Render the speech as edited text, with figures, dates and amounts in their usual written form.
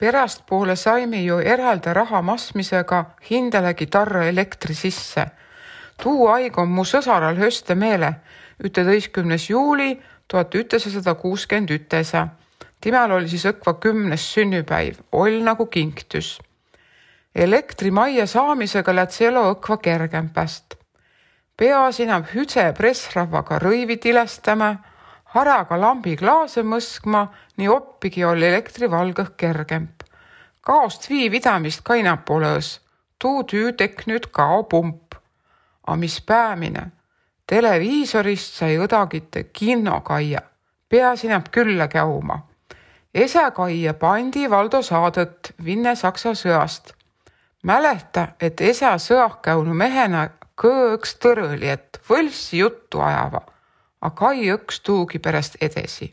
Peräst poole saimi ju eralda raha masmisega hindele gitarra elektri sisse. Tuu aig on mu sõsaral höste meele, 11. juuli 1961. Timäl oli siis õkva 10. sünnüpäiv, oll nagu kinktüs. Elektrimajja saamisega läts elo õkva kergempäst. Peasinab hüdse pressrahvaga rõivi tilestama, haraga lambi klaase mõskma, nii oppigi oli elektrivalgõh kergemp. Kaost vii vidamist kainapoolõõs, tuu tüü teknüd kaopump. A mis päämine, televiisorist sai õdagite kinnokaia, peasinab külla käuma. Esäkaia pandi Valdo saadet Vinne-Saksa sõast. Mälehtä, et esä sõah käunu mehena kõõks tõrõli, et võlssi juttu ajava, a kai õks tuugi pärast edesi.